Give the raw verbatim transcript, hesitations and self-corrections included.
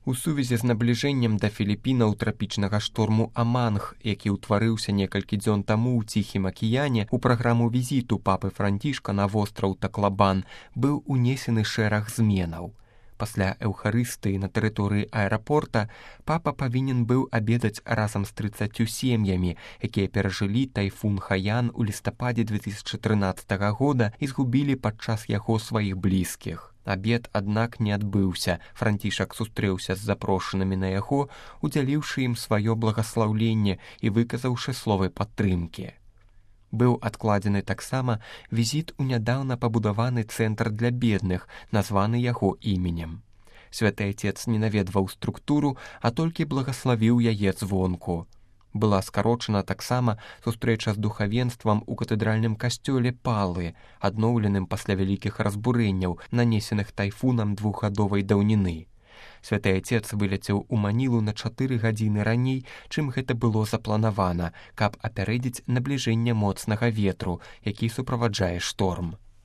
У сувязі з набліжэннем да Філіпінаў трапічнага шторму Аманг, які ўтварыўся некалькі дзён таму ў Ціхім акіяне, у праграму візіту папы Францішка на востраў Таклабан быў унесены шэраг зменаў. Пасля эўхарыстыі на тэрыторыі аэрапорта папа павінен быў абедаць разам з трыццаццю сем'ямі, якія перажылі тайфун Хаян у лістападзе две тысячы трынаццатага года і згубілі падчас яго сваіх блізкіх. Абед, аднак, не адбыўся. Францішак сустрэўся з запрошанымі на яго, удзяліўшы ім сваё благаслаўленне і выказаўшы словы падтрымкі. Быў адкладзены таксама візіт у нядаўна пабудаваны цэнтр для бедных, названы яго іменем. Святы Отец не наведваў структуру, а толькі благаславіў яе звонку. Была скарочана таксама сустрэча з духавенствам у катэдральным касцёле Палы, адноўленым пасля вялікіх разбурэнняў, нанесеных тайфунам двухгадовай даўніны. Святы Отец вылецеў у Манілу на чатыры гадзіны раней, чым гэта было запланавана, каб апярэдзіць набліжэнне моцнага ветру, які суправаджае шторм.